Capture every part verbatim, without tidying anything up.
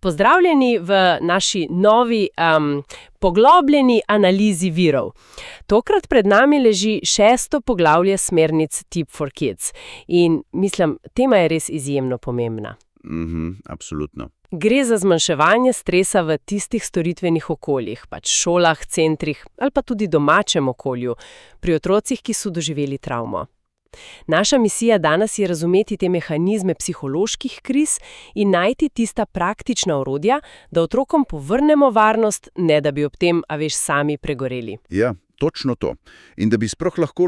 Pozdravljeni v naši novi um, poglobljeni analizi virov. Tokrat pred nami leži šesto poglavje smernic Tip for Kids. In mislim, tema je res izjemno pomembna. Mhm, absolutno. Gre za zmanjševanje stresa v tistih storitvenih okoljih, pač šolah, centrih ali pa tudi domačem okolju, pri otrocih, ki so doživeli travmo. Naša misija danes je razumeti te mehanizme psiholoških kriz in najti tista praktična orodja, da otrokom povrnemo varnost, ne da bi ob tem, a veš, sami pregoreli. Ja, točno to. In da bi sploh lahko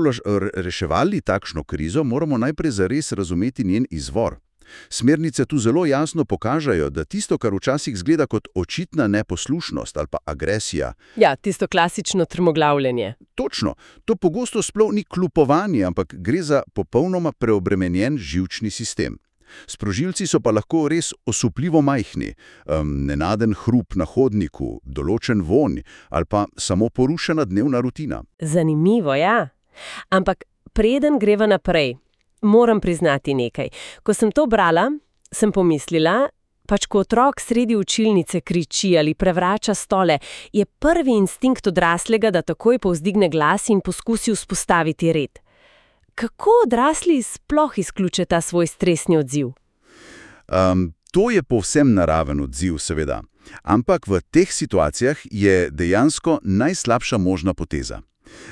reševali takšno krizo, moramo najprej zares razumeti njen izvor. Smernice tu zelo jasno pokažejo, da tisto, kar včasih zgleda kot očitna neposlušnost ali pa agresija. Ja, tisto klasično trmoglavljenje. Točno. To pogosto sploh ni klupovanje, ampak gre za popolnoma preobremenjen živčni sistem. Sprožilci so pa lahko res osupljivo majhni, um, nenaden hrup na hodniku, določen vonj ali pa samo porušena dnevna rutina. Zanimivo, ja. Ampak preden greva naprej, moram priznati nekaj. Ko sem to brala, sem pomislila, pač ko otrok sredi učilnice kriči ali prevrača stole, je prvi instinkt odraslega, da takoj povzdigne glas in poskusi vzpostaviti red. Kako odrasli sploh izključe ta svoj stresni odziv? Um, to je povsem naraven odziv, seveda. Ampak v teh situacijah je dejansko najslabša možna poteza.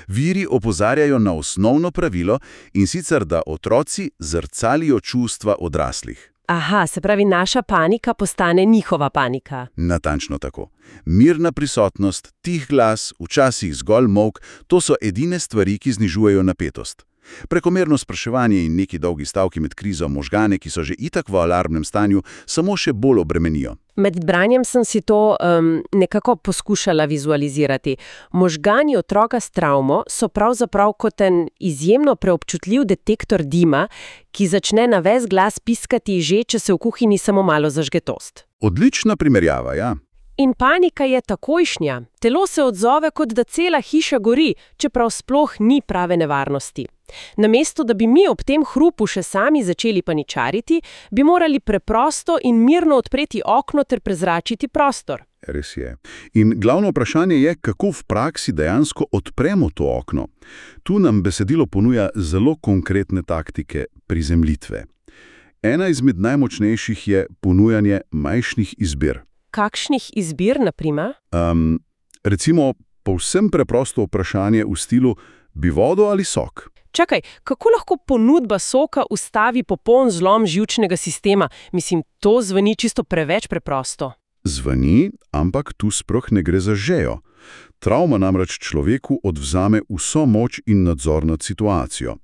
Viri opozarjajo na osnovno pravilo, in sicer, da otroci zrcalijo čustva odraslih. Aha, se pravi, naša panika postane njihova panika. Natančno tako. Mirna prisotnost, tih glas, včasih zgolj molk, to so edine stvari, ki znižujejo napetost. Prekomerno spraševanje in neki dolgi stavki med krizo možgane, ki so že itak v alarmnem stanju, samo še bolj obremenijo. Med branjem sem si to um, nekako poskušala vizualizirati. Možgani otroka s travmo so pravzaprav kot en izjemno preobčutljiv detektor dima, ki začne na ves glas piskati že, če se v kuhinji samo malo zažge tost. Odlična primerjava, ja. In panika je takojšnja. Telo se odzove, kot da cela hiša gori, čeprav sploh ni prave nevarnosti. Namesto, da bi mi ob tem hrupu še sami začeli paničariti, bi morali preprosto in mirno odpreti okno ter prezračiti prostor. Res je. In glavno vprašanje je, kako v praksi dejansko odpremo to okno. Tu nam besedilo ponuja zelo konkretne taktike prizemljitve. Ena izmed najmočnejših je ponujanje majhnih izbir. Kakšnih izbir, na primer? Um, recimo, povsem preprosto vprašanje v stilu, bi vodo ali sok? Čakaj, kako lahko ponudba soka ustavi popoln zlom živčnega sistema? Mislim, to zveni čisto preveč preprosto. Zveni, ampak tu sploh ne gre za žejo. Travma namreč človeku odvzame vso moč in nadzor nad situacijo.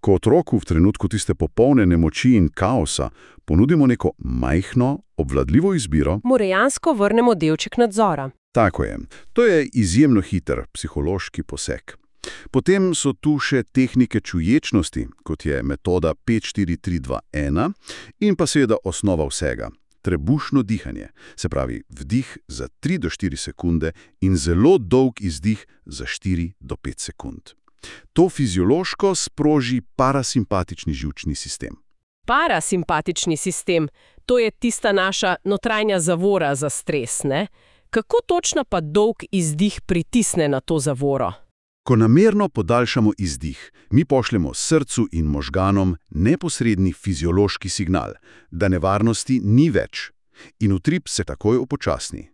Ko otroku v trenutku tiste popolne nemoči in kaosa ponudimo neko majhno, obvladljivo izbiro, mu dejansko vrnemo delček nadzora. Tako je. To je izjemno hiter psihološki poseg. Potem so tu še tehnike čuječnosti, kot je metoda pet štiri tri dva ena in pa seveda osnova vsega. Trebušno dihanje, se pravi vdih za tri do štiri sekunde in zelo dolg izdih za štiri do pet sekund. To fiziološko sproži parasimpatični živčni sistem. Parasimpatični sistem, to je tista naša notranja zavora za stres, ne? Kako točno pa dolg izdih pritisne na to zavoro? Ko namerno podaljšamo izdih, mi pošljemo srcu in možganom neposredni fiziološki signal, da nevarnosti ni več. In utrip se takoj upočasni.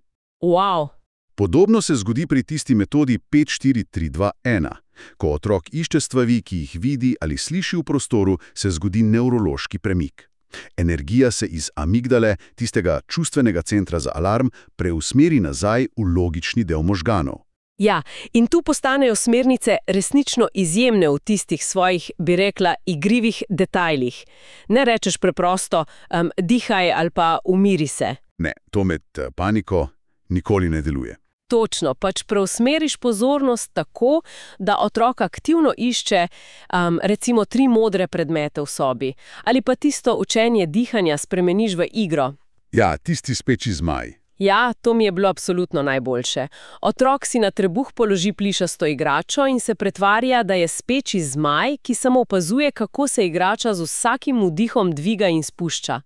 Wow! Podobno se zgodi pri tisti metodi pet štiri tri dva ena. Ko otrok išče stvari, ki jih vidi ali sliši v prostoru, se zgodi nevrološki premik. Energija se iz amigdale, tistega čustvenega centra za alarm, preusmeri nazaj v logični del možganov. Ja, in tu postanejo smernice resnično izjemne v tistih svojih, bi rekla, igrivih detajlih. Ne rečeš preprosto, um, dihaj ali pa umiri se. Ne, to med paniko nikoli ne deluje. Točno, pač preusmeriš pozornost tako, da otrok aktivno išče um, recimo tri modre predmete v sobi. Ali pa tisto učenje dihanja spremeniš v igro. Ja, tisti speči zmaj. Ja, to mi je bilo absolutno najboljše. Otrok si na trebuh položi plišasto igračo in se pretvarja, da je speči zmaj, ki samo opazuje, kako se igrača z vsakim vdihom dviga in spušča.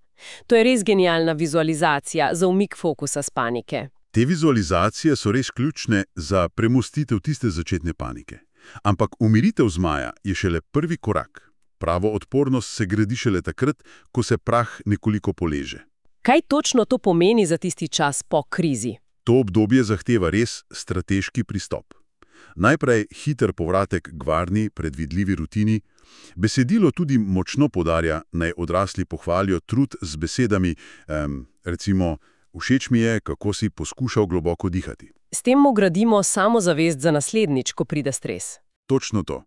To je res genialna vizualizacija za umik fokusa s panike. Te vizualizacije so res ključne za premostitev tiste začetne panike. Ampak umiritev zmaja je šele prvi korak. Pravo odpornost se gradi šele takrat, ko se prah nekoliko poleže. Kaj točno to pomeni za tisti čas po krizi? To obdobje zahteva res strateški pristop. Najprej hiter povratek k varni, predvidljivi rutini. Besedilo tudi močno poudarja, naj odrasli pohvalijo trud z besedami, um, recimo, všeč mi je, kako si poskušal globoko dihati. S tem mu gradimo samozavest za naslednjič, ko pride stres. Točno to.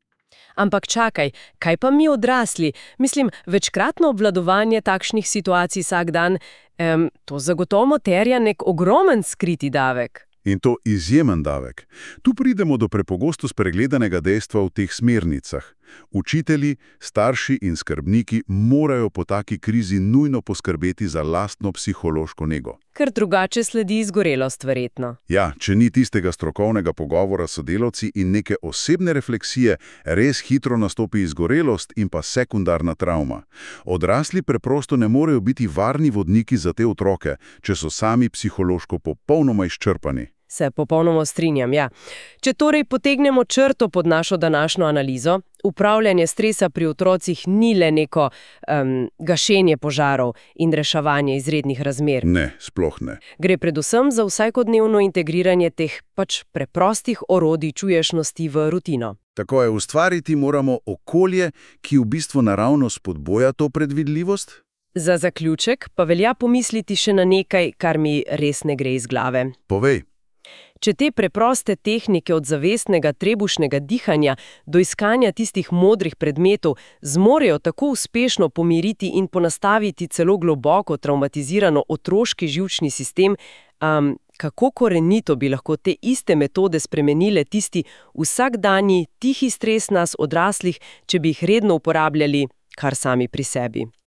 Ampak čakaj, kaj pa mi odrasli? Mislim, večkratno obvladovanje takšnih situacij vsak dan, em, to zagotovo terja nek ogromen skriti davek. In to izjemen davek. Tu pridemo do prepogosto spregledanega dejstva v teh smernicah. Učitelji, starši in skrbniki morajo po taki krizi nujno poskrbeti za lastno psihološko nego. Ker drugače sledi izgorelost, verjetno. Ja, če ni tistega strokovnega pogovora s sodelavci in neke osebne refleksije, res hitro nastopi izgorelost in pa sekundarna travma. Odrasli preprosto ne morejo biti varni vodniki za te otroke, če so sami psihološko popolnoma izčrpani. Se popolnoma strinjam, ja. Če torej potegnemo črto pod našo današnjo analizo, upravljanje stresa pri otrocih ni le neko um, gašenje požarov in reševanje izrednih razmer. Ne, sploh ne. Gre predvsem za vsakodnevno integriranje teh pač preprostih orodij čuješnosti v rutino. Tako je, ustvariti moramo okolje, ki v bistvu naravno spodboja to predvidljivost. Za zaključek pa velja pomisliti še na nekaj, kar mi res ne gre iz glave. Povej. Če te preproste tehnike od zavestnega trebušnega dihanja do iskanja tistih modrih predmetov zmorejo tako uspešno pomiriti in ponastaviti celo globoko traumatizirano otroški živčni sistem, um, kako korenito bi lahko te iste metode spremenile tisti vsakdanji tihi stres nas odraslih, če bi jih redno uporabljali kar sami pri sebi.